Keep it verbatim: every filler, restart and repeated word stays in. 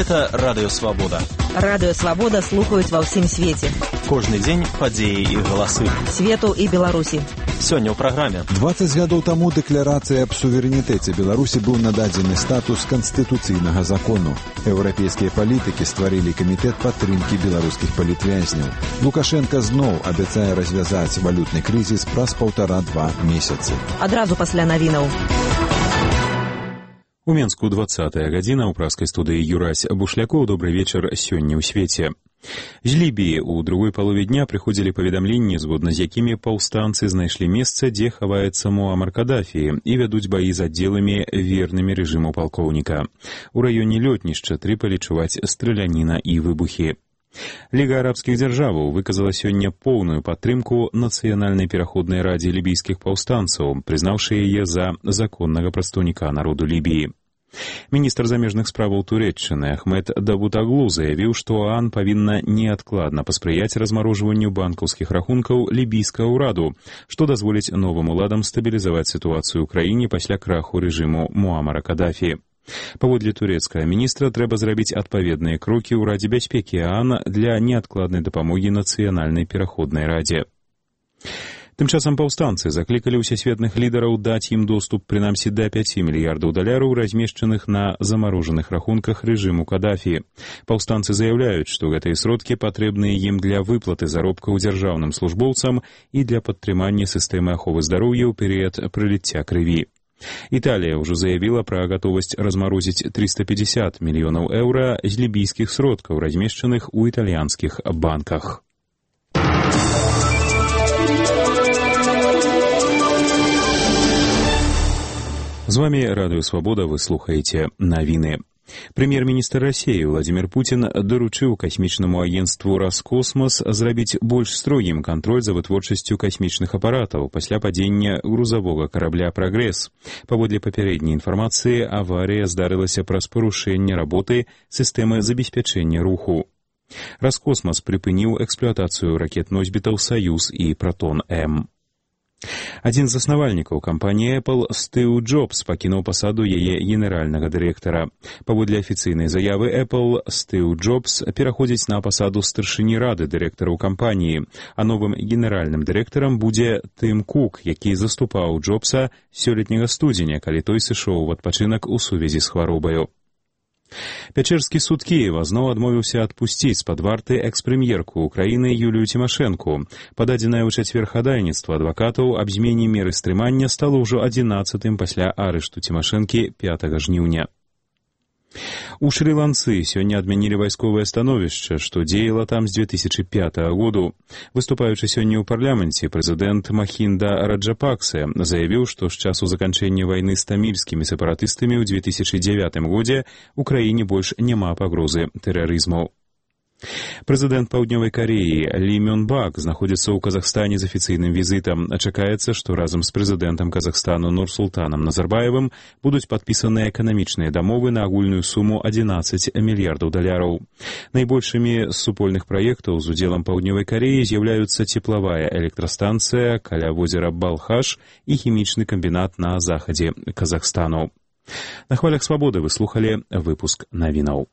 Гэта Радыё Свабода. Радыё Свабода слухаюць ва ўсім свеце. Кожны дзень падзеі і галасы. Свету і Беларусі. Сёння ў праграме. дваццаць гадоў таму дэкларацыя аб суверэнітэце Беларусі быў нададзены статус канстытуцыйнага закону. Еўрапейскія палітыкі стварылі камітэт падтрымкі беларускіх палітвязняў. Лукашенка зноў абяцае развязаць валютны крызіс праз паўтара-два месяцы. Адразу пасля навінаў. У Менску двадцатая гадзіна, у праскай студыі Юрась Бушлякоў. Добрый вечар сёння ў свеце. З Лібіі ў другой палове дня прыходзілі паведамленні, згодна з якімі паўстанцы знайшлі месца, дзе хаваецца Муамар Кадафі, і вядуць баі з аддзеламі вернымі рэжыму палкоўніка. У раёне лётнішча Трыполі чуваць страляніна і выбухі. Ліга арабскіх дзяржаваў выказала сёння поўную падтрымку нацыянальнай пераходнай радзе лібійскіх паўстанцаў, прызнаўшы яе за законнага прадстаўніка народу Лібіі. Міністр замежных справаў Турэччыны Ахмед Давутаглу заявіў, што ОАН павінна неадкладна паспрыяць размарожванню банкаўскіх рахункаў лібійскага ўраду, што дазволіць новым уладам стабілізаваць сітуацыю ў краіне пасля краху рэжыму Муамара Кадафі. Паводле турэцкага міністра трэба зрабіць адпаведныя крокі ў Радзе бяспекі ОАН для неадкладнай дапамогі нацыянальнай пераходнай радзе. Тым часам паўстанцы заклікалі ўсесветных лідараў даць ім доступ прынамсі да пяці мільярдаў даляраў, размешчаных на замарожаных рахунках рэжыму Кадафі. Паўстанцы заяўляюць, што гэтыя сродкі патрэбныя ім для выплаты заробкаў дзяржаўным службоўцам і для падтрымання сістэмы аховы здароўя ў перыяд прыліцця крыві. Італія ўжо заявіла пра гатовасць размарозіць трыста пятьдесят мільёнаў еўра з лібійскіх сродкаў, размешчаных у італьянскіх банках. З вами Радыё Свабода, вы слухаеце навіны. Прэм'ер-міністр Расіі Владзімір Пуцін даручыў касмічнаму агенцтву «Роскосмос» зрабіць больш строгім кантроль за вытворчасцю касмічных апаратаў пасля падзення грузавога карабля «Прагрэс». Паводле папярэдняй інфармацыі, аварыя здарылася праз парушэнне работы сістэмы забеспячэння руху. «Роскосмос» прыпыніў эксплуатацыю ракет-носьбітаў «Саюз» і «Протон-М». Адзін з заснавальнікаў кампаніі Apple, Стыў Джобс, пакінуў пасаду яе генеральнага дырэктара. Паводле афіцыйнай заявы Apple, Стыў Джобс пераходзіць на пасаду старшыні рады дырэктараў кампаніі, а новым генеральным дырэктарам будзе Тым Кук, які заступаў Джобса сёлетняга студзеня, калі той сышоў у адпачынак у сувязі з хваробаю. Пячэрскі суд Кіева зноў адмовіўся адпусціць з-пад варты экс-прэм'ерку Украіны Юлію Цімашэнку. Пададзенае ў чацвер хадайніцтва адвакатаў аб змене меры стрымання стала ўжо адзінаццатым пасля арышту Цімашэнкі пятага жніўня. У Шры-Ланцы сёння адмянілі вайсковае становішча, што дзеяла там з дзве тысячы пятага году. Выступаючы сёння ў парламенце, прэзідэнт Махінда Раджапаксе заявіў, што з часу заканчэння вайны з тамільскімі сепаратыстамі ў дзве тысячы дзявятым годзе ў краіне больш няма пагрозы тэрарызму. Прэзідэнт Паўднёвай Кареі Лі Мён Бак знаходзіцца ў Казахстане з афіцыйным візітам. Чакаецца, што разам з прэзідэнтам Казахстану Нурсултанам Назарбаевым будуць падпісаныя эканамічныя дамовы на агульную суму адзінаццаць мільярдаў даляраў. Найбольшымі з супольных праектаў з удзелам Паўднёвай Кареі з'яўляюцца цеплавая электрастанцыя каля возера Балхаш і хімічны камбінат на захадзе Казахстану. На хвалях Свабоды вы слухалі выпуск навінаў.